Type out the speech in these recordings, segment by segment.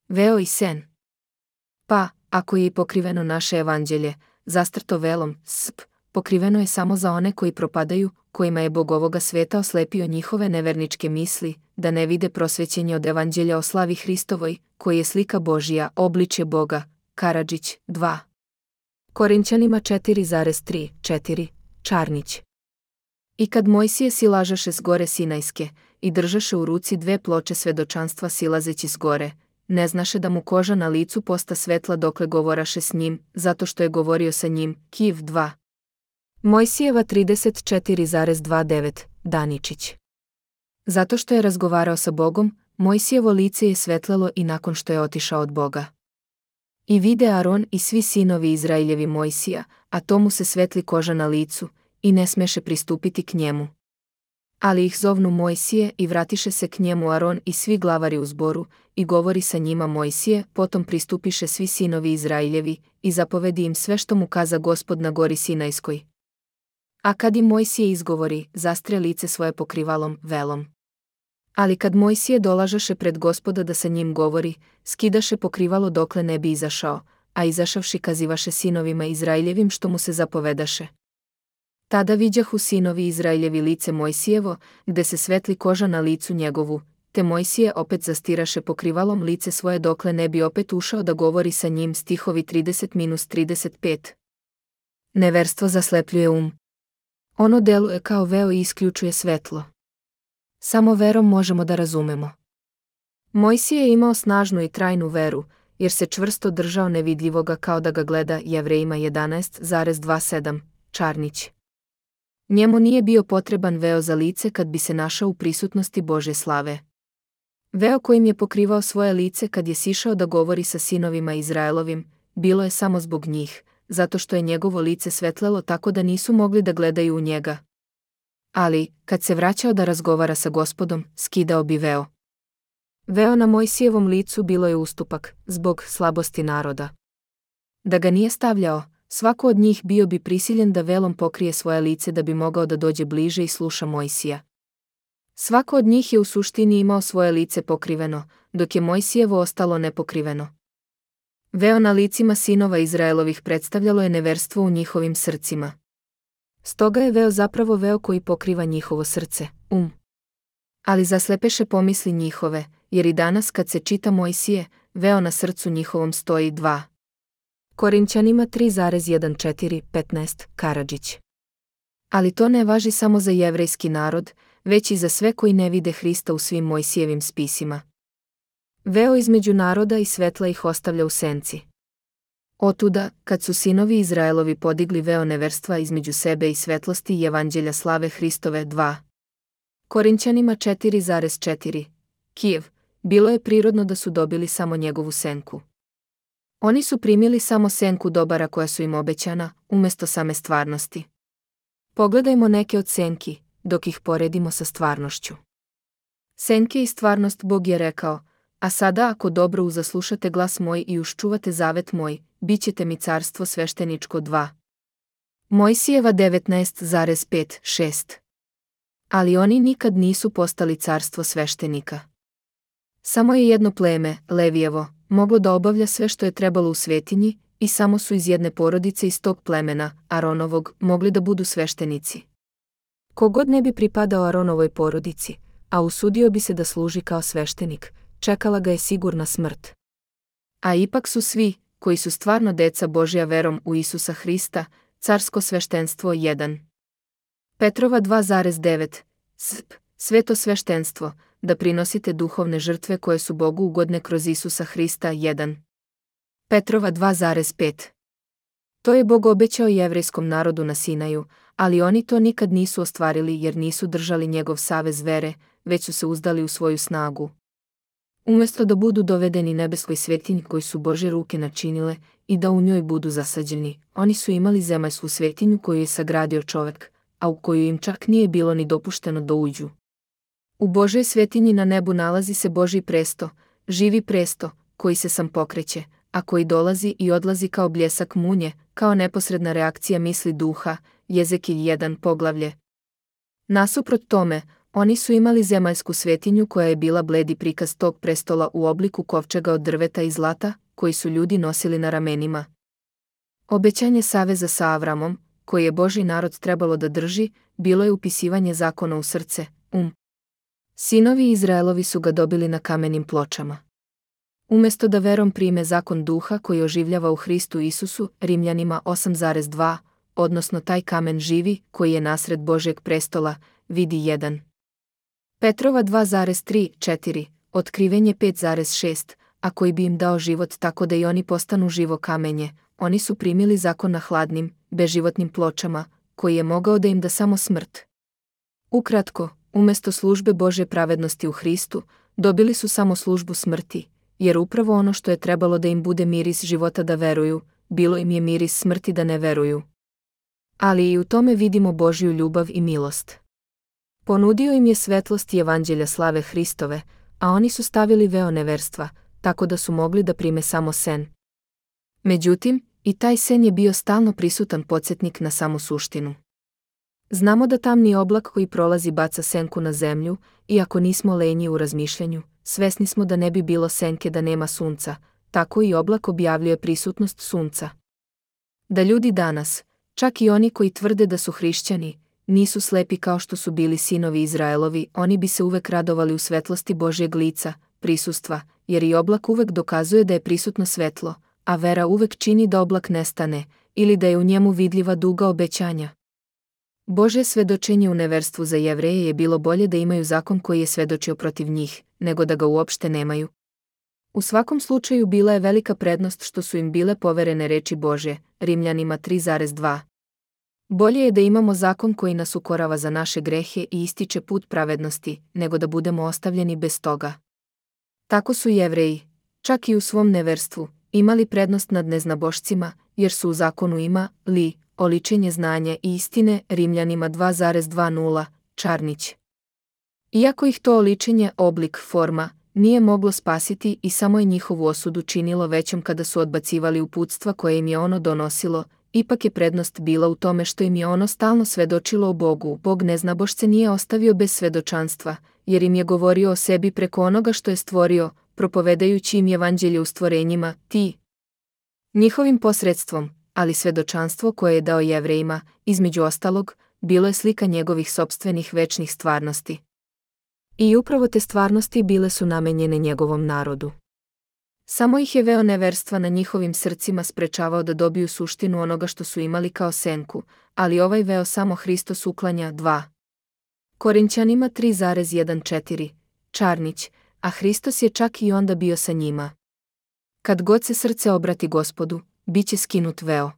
Veo i sen. Pa, ako je i pokriveno naše evanđelje, zastrto velom, pokriveno je samo za one koji propadaju, kojima je Bog ovoga sveta oslepio njihove neverničke misli, da ne vide prosvećenje od evanđelja o slavi Hristovoj, koji je slika Božija, obličje Boga. Karadžić, 2. Korinćanima 4,3-4, Čarnić. I kad Mojsije silažaše s gore Sinajske, i držaše u ruci 2 ploče svedočanstva silazeći s gore, ne znaše da mu koža na licu posta svetla dokle govoraše s njim, zato što je govorio sa njim. Kiv 2. Mojsijeva 34,29, Daničić. Zato što je razgovarao sa Bogom, Mojsijevo lice je svetlelo i nakon što je otišao od Boga. I vide Aron i svi sinovi Izraeljevi Mojsija, a tomu se svetli koža na licu, i ne smeše pristupiti k njemu. Ali ih zovnu Mojsije i vratiše se k njemu Aron i svi glavari u zboru, i govori sa njima Mojsije, potom pristupiše svi sinovi Izraeljevi, i zapovedi im sve što mu kaza Gospod na gori Sinajskoj. A kad im Mojsije izgovori, zastre lice svoje pokrivalom, velom. Ali kad Mojsije dolažaše pred Gospoda da sa njim govori, skidaše pokrivalo dokle ne bi izašao, a izašavši kazivaše sinovima Izraeljevim što mu se zapovedaše. Tada viđahu sinovi Izraeljevi lice Mojsijevo, gde se svetli koža na licu njegovu, te Mojsije opet zastiraše pokrivalom lice svoje dokle ne bi opet ušao da govori sa njim. Stihovi 30-35. Neverstvo zaslepljuje Ono deluje kao veo i isključuje svetlo. Samo verom možemo da razumemo. Mojsije je imao snažnu i trajnu veru, jer se čvrsto držao nevidljivoga kao da ga gleda. Jevrejima 11,27, Čarnić. Njemu nije bio potreban veo za lice kad bi se našao u prisutnosti Božje slave. Veo kojim je pokrivao svoje lice kad je sišao da govori sa sinovima Izraelovim, bilo je samo zbog njih, zato što je njegovo lice svetlelo tako da nisu mogli da gledaju u njega. Ali, kad se vraćao da razgovara sa Gospodom, skidao bi veo. Veo na Mojsijevom licu bilo je ustupak, zbog slabosti naroda. Da ga nije stavljao, svako od njih bio bi prisiljen da velom pokrije svoje lice da bi mogao da dođe bliže i sluša Mojsija. Svako od njih je u suštini imao svoje lice pokriveno, dok je Mojsijevo ostalo nepokriveno. Veo na licima sinova Izraelovih predstavljalo je neverstvo u njihovim srcima. Stoga je veo zapravo veo koji pokriva njihovo srce, Ali zaslepeše pomisli njihove, jer i danas kad se čita Mojsije, veo na srcu njihovom stoji. 2. Korinćanima 3,14-15, Karadžić. Ali to ne važi samo za jevrejski narod, već i za sve koji ne vide Hrista u svim Mojsijevim spisima. Veo između naroda i svetla ih ostavlja u senci. Otuda, kad su sinovi Izraelovi podigli veo neverstva između sebe i svetlosti i evanđelja slave Hristove. 2. Korinćanima 4,4, Kijev, bilo je prirodno da su dobili samo njegovu senku. Oni su primili samo senku dobara koja su im obećana, umjesto same stvarnosti. Pogledajmo neke od senki, dok ih poredimo sa stvarnošću. Senke i stvarnost Bog je rekao, a sada ako dobro uzaslušate glas moj i uščuvate zavet moj, bit ćete mi carstvo svešteničko. 2. Mojsijeva 19,5-6. Ali oni nikad nisu postali carstvo sveštenika. Samo je jedno pleme, Levijevo, moglo da obavlja sve što je trebalo u svetinji, i samo su iz jedne porodice iz tog plemena, Aronovog, mogli da budu sveštenici. Kogod ne bi pripadao Aronovoj porodici, a usudio bi se da služi kao sveštenik, čekala ga je sigurna smrt. A ipak su svi, koji su stvarno deca Božja verom u Isusa Hrista, carsko sveštenstvo. 1. Petrova 2,9, sveto sveštenstvo, da prinosite duhovne žrtve koje su Bogu ugodne kroz Isusa Hrista. 1. Petrova 2,5. To je Bog obećao jevrejskom narodu na Sinaju, ali oni to nikad nisu ostvarili jer nisu držali njegov savez vere, već su se uzdali u svoju snagu. Umjesto da budu dovedeni nebeskoj svetinji koju su Božje ruke načinile i da u njoj budu zasađeni, oni su imali zemaljsku svetinju koju je sagradio čovek, a u koju im čak nije bilo ni dopušteno da uđu. U Božoj svetinji na nebu nalazi se Božji presto, živi presto, koji se sam pokreće, a koji dolazi i odlazi kao bljesak munje, kao neposredna reakcija misli duha. Jezekilj 1 poglavlje. Nasuprot tome, Oni su imali zemaljsku svetinju koja je bila bledi prikaz tog prestola u obliku kovčega od drveta i zlata, koji su ljudi nosili na ramenima. Obećanje saveza sa Avramom, koji je Božji narod trebalo da drži, bilo je upisivanje zakona u srce, Sinovi Izraelovi su ga dobili na kamenim pločama. Umjesto da verom prime zakon duha koji oživljava u Hristu Isusu, Rimljanima 8,2, odnosno taj kamen živi, koji je nasred Božjeg prestola, vidi 1. Petrova 2,3-4, otkrivenje 5,6, a koji bi im dao život tako da i oni postanu živo kamenje, oni su primili zakon na hladnim, beživotnim pločama, koji je mogao da im da samo smrt. Ukratko, umjesto službe Božje pravednosti u Hristu, dobili su samo službu smrti, jer upravo ono što je trebalo da im bude miris života da veruju, bilo im je miris smrti da ne veruju. Ali i u tome vidimo Božju ljubav i milost. Ponudio im je svetlost i evanđelja slave Hristove, a oni su stavili veo neverstva, tako da su mogli da prime samo sen. Međutim, i taj sen je bio stalno prisutan podsjetnik na samu suštinu. Znamo da tamni oblak koji prolazi baca senku na zemlju, iako nismo lenji u razmišljanju, svesni smo da ne bi bilo senke da nema sunca, tako i oblak objavljuje prisutnost sunca. Da ljudi danas, čak i oni koji tvrde da su hrišćani, nisu slepi kao što su bili sinovi Izraelovi, oni bi se uvek radovali u svetlosti Božjeg lica, prisustva, jer i oblak uvek dokazuje da je prisutno svetlo, a vera uvek čini da oblak nestane, ili da je u njemu vidljiva duga obećanja. Božje svedočenje u neverstvu za Jevreje je bilo bolje da imaju zakon koji je svedočio protiv njih, nego da ga uopšte nemaju. U svakom slučaju bila je velika prednost što su im bile poverene reči Božje, Rimljanima 3,2. Bolje je da imamo zakon koji nas ukorava za naše grehe i ističe put pravednosti, nego da budemo ostavljeni bez toga. Tako su Jevreji, čak i u svom neverstvu, imali prednost nad neznabošcima, jer su u zakonu imali oličenje znanja i istine, Rimljanima 2,20, Čarnić. Iako ih to oličenje, oblik, forma, nije moglo spasiti i samo je njihovu osudu činilo većom kada su odbacivali uputstva koje im je ono donosilo, ipak je prednost bila u tome što im je ono stalno svedočilo o Bogu. Bog neznabošce nije ostavio bez svedočanstva, jer im je govorio o sebi preko onoga što je stvorio, propovedajući im evanđelje u stvorenjima, njihovim posredstvom, ali svedočanstvo koje je dao Jevrejima, između ostalog, bilo je slika njegovih sopstvenih večnih stvarnosti. I upravo te stvarnosti bile su namenjene njegovom narodu. Samo ih je veo neverstva na njihovim srcima sprečavao da dobiju suštinu onoga što su imali kao senku, ali ovaj veo samo Hristos uklanja 2. Korinćanima 3,14, Čarnić, a Hristos je čak i onda bio sa njima. Kad god se srce obrati Gospodu, bit će skinut veo.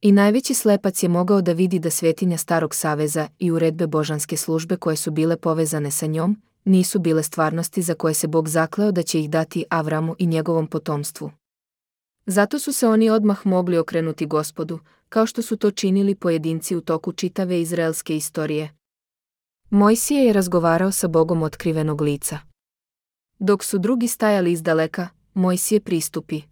I najveći slepac je mogao da vidi da svetinja Starog saveza i uredbe božanske službe koje su bile povezane sa njom, nisu bile stvarnosti za koje se Bog zakleo da će ih dati Avramu i njegovom potomstvu. Zato su se oni odmah mogli okrenuti Gospodu, kao što su to činili pojedinci u toku čitave izraelske istorije. Mojsije je razgovarao sa Bogom otkrivenog lica. Dok su drugi stajali izdaleka, Mojsije pristupi.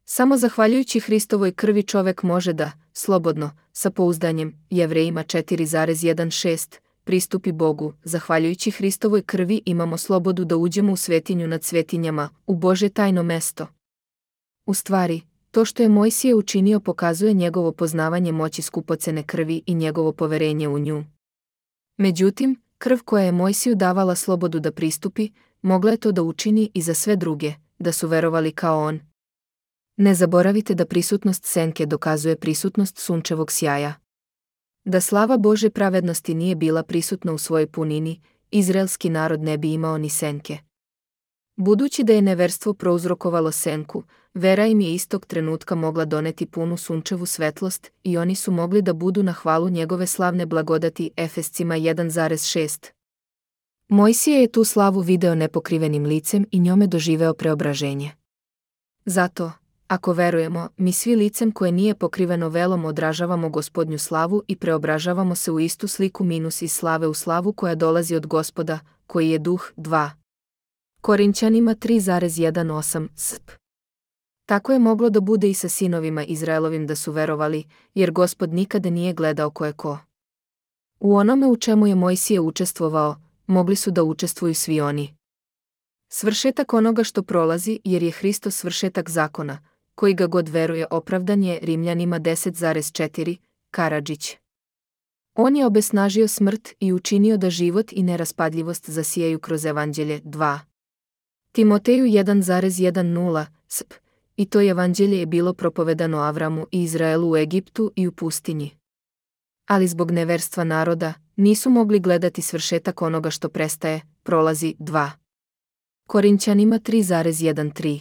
Samo zahvaljujući Hristovoj krvi čovek može da, slobodno, sa pouzdanjem, Jevrejima 4,16, pristupi Bogu. Zahvaljujući Hristovoj krvi imamo slobodu da uđemo u svetinju nad svetinjama, u Božje tajno mesto. U stvari, to što je Mojsije učinio pokazuje njegovo poznavanje moći skupocene krvi i njegovo poverenje u nju. Međutim, krv koja je Mojsiju davala slobodu da pristupi, mogla je to da učini i za sve druge, da su verovali kao on. Ne zaboravite da prisutnost senke dokazuje prisutnost sunčevog sjaja. Da slava Božje pravednosti nije bila prisutna u svojoj punini, izraelski narod ne bi imao ni senke. Budući da je neverstvo prouzrokovalo senku, vera im je istog trenutka mogla doneti punu sunčevu svetlost i oni su mogli da budu na hvalu njegove slavne blagodati. Efescima 1,6. Mojsije je tu slavu video nepokrivenim licem i njome doživeo preobraženje. Zato, ako verujemo, mi svi licem koje nije pokriveno velom odražavamo Gospodnju slavu i preobražavamo se u istu sliku minus iz slave u slavu koja dolazi od Gospoda, koji je duh. 2. Korinćanima 3,18 sp. Tako je moglo da bude i sa sinovima Izraelovim da su verovali, jer Gospod nikada nije gledao ko je ko. U onome u čemu je Mojsije učestvovao, mogli su da učestvuju svi oni. Svršetak onoga što prolazi, jer je Hristos svršetak zakona, koji ga god veruje opravdan je, Rimljanima 10,4, Karadžić. On je obesnažio smrt i učinio da život i neraspadljivost zasijaju kroz evanđelje 2. Timoteju 1,10, sp. I to evanđelje je bilo propovedano Avramu i Izraelu u Egiptu i u pustinji. Ali zbog neverstva naroda, nisu mogli gledati svršetak onoga što prestaje, prolazi 2. Korinćanima 3,13.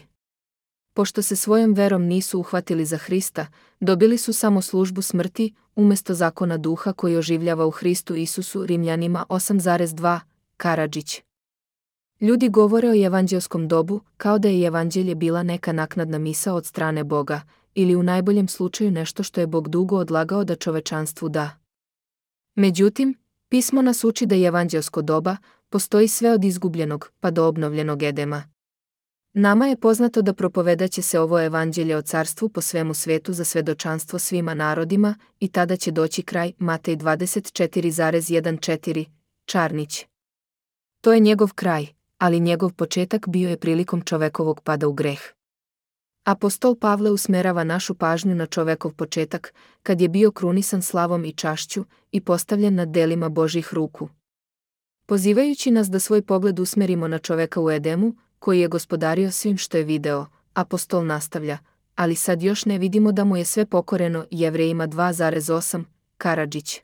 Pošto se svojom verom nisu uhvatili za Hrista, dobili su samo službu smrti, umjesto zakona duha koji oživljava u Hristu Isusu, Rimljanima 8,2, Karadžić. Ljudi govore o evanđelskom dobu kao da je evanđelje bila neka naknadna misao od strane Boga, ili u najboljem slučaju nešto što je Bog dugo odlagao da čovečanstvu da. Međutim, pismo nas uči da evanđelsko doba postoji sve od izgubljenog pa do obnovljenog Edema. Nama je poznato da propovedaće se ovo evanđelje o carstvu po svemu svetu za svedočanstvo svima narodima i tada će doći kraj, Matej 24,14, Čarnić. To je njegov kraj, ali njegov početak bio je prilikom čovekovog pada u greh. Apostol Pavle usmerava našu pažnju na čovekov početak, kad je bio krunisan slavom i čašću i postavljen nad delima Božjih ruku. Pozivajući nas da svoj pogled usmerimo na čoveka u Edemu, koji je gospodario svim što je video, apostol nastavlja, ali sad još ne vidimo da mu je sve pokoreno, Jevrejima 2,8, Karadžić.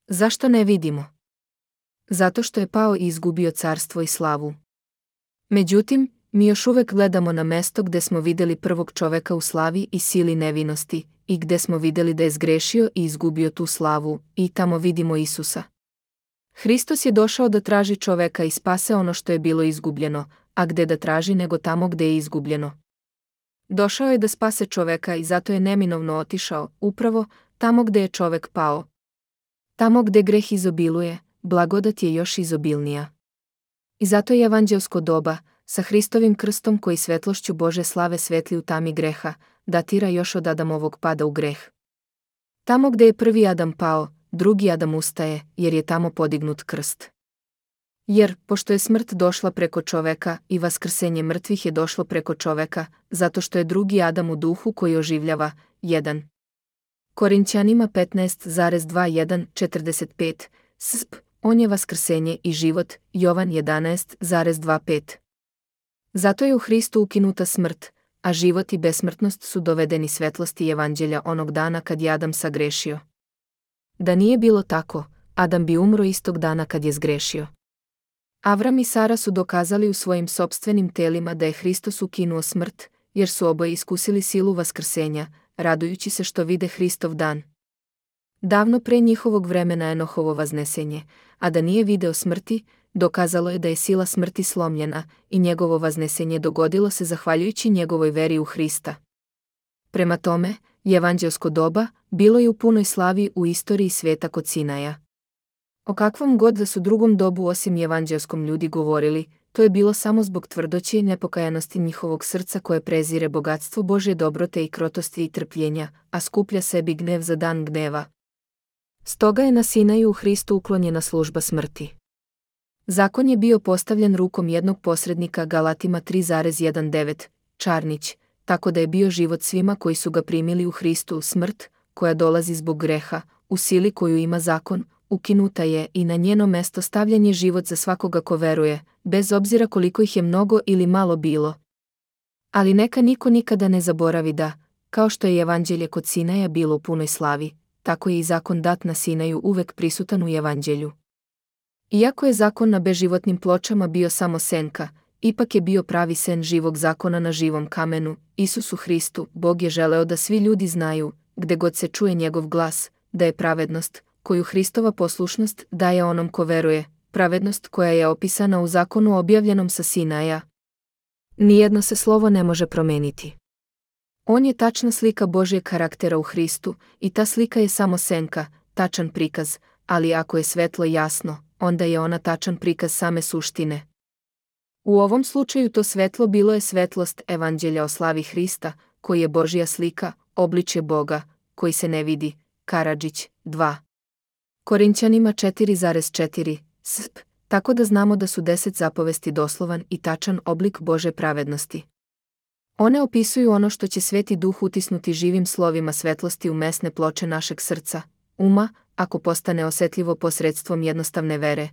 Zašto ne vidimo? Zato što je pao i izgubio carstvo i slavu. Međutim, mi još uvek gledamo na mesto gde smo videli prvog čoveka u slavi i sili nevinosti, i gde smo videli da je zgrešio i izgubio tu slavu, i tamo vidimo Isusa. Hristos je došao da traži čoveka i spase ono što je bilo izgubljeno, a gde da traži nego tamo gde je izgubljeno. Došao je da spase čoveka i zato je neminovno otišao, upravo tamo gde je čovek pao. Tamo gde greh izobiluje, blagodat je još izobilnija. I zato je evanđelsko doba, sa Hristovim krstom koji svetlošću Bože slave svetli u tami greha, datira još od Adamovog pada u greh. Tamo gde je prvi Adam pao, drugi Adam ustaje, jer je tamo podignut krst. Jer, pošto je smrt došla preko čoveka i vaskrsenje mrtvih je došlo preko čoveka, zato što je drugi Adam u duhu koji oživljava, 1. Korinćanima 15,21-45, sp. On je vaskrsenje i život, Jovan 11,25. Zato je u Hristu ukinuta smrt, a život i besmrtnost su dovedeni svetlosti evanđelja onog dana kad je Adam sagrešio. Da nije bilo tako, Adam bi umro istog dana kad je zgrešio. Avram i Sara su dokazali u svojim sopstvenim telima da je Hristos ukinuo smrt, jer su oboje iskusili silu vaskrsenja, radujući se što vide Hristov dan. Davno pre njihovog vremena Enohovo vaznesenje, a da nije video smrti, dokazalo je da je sila smrti slomljena i njegovo vaznesenje dogodilo se zahvaljujući njegovoj veri u Hrista. Prema tome, evanđelsko doba bilo je u punoj slavi u istoriji sveta kod Sinaja. O kakvom god da su drugom dobu osim evanđelskom ljudi govorili, to je bilo samo zbog tvrdoće i nepokajanosti njihovog srca koje prezire bogatstvo Božje dobrote i krotosti i trpljenja, a skuplja sebi gnev za dan gneva. Stoga je na Sinaju u Hristu uklonjena služba smrti. Zakon je bio postavljen rukom jednog posrednika, Galatima 3,19, Čarnić, tako da je bio život svima koji su ga primili u Hristu. Smrt, koja dolazi zbog greha, u sili koju ima zakon, ukinuta je i na njeno mesto stavljen je život za svakoga ko veruje, bez obzira koliko ih je mnogo ili malo bilo. Ali neka niko nikada ne zaboravi da, kao što je evanđelje kod Sinaja bilo u punoj slavi, tako je i zakon dat na Sinaju uvek prisutan u evanđelju. Iako je zakon na beživotnim pločama bio samo senka, ipak je bio pravi sen živog zakona na živom kamenu, Isusu Hristu. Bog je želeo da svi ljudi znaju, gde god se čuje njegov glas, da je pravednost, koju Hristova poslušnost daje onom ko veruje, pravednost koja je opisana u zakonu objavljenom sa Sinaja. Nijedno se slovo ne može promeniti. On je tačna slika Božjeg karaktera u Hristu i ta slika je samo senka, tačan prikaz, ali ako je svetlo jasno, onda je ona tačan prikaz same suštine. U ovom slučaju to svetlo bilo je svetlost evanđelja o slavi Hrista, koji je Božja slika, obličje Boga, koji se ne vidi, Karadžić, 2. Korinćanima 4,4 sp, tako da znamo da su 10 zapovesti doslovan i tačan oblik Bože pravednosti. One opisuju ono što će Sveti Duh utisnuti živim slovima svetlosti u mesne ploče našeg srca, uma, ako postane osetljivo posredstvom jednostavne vere,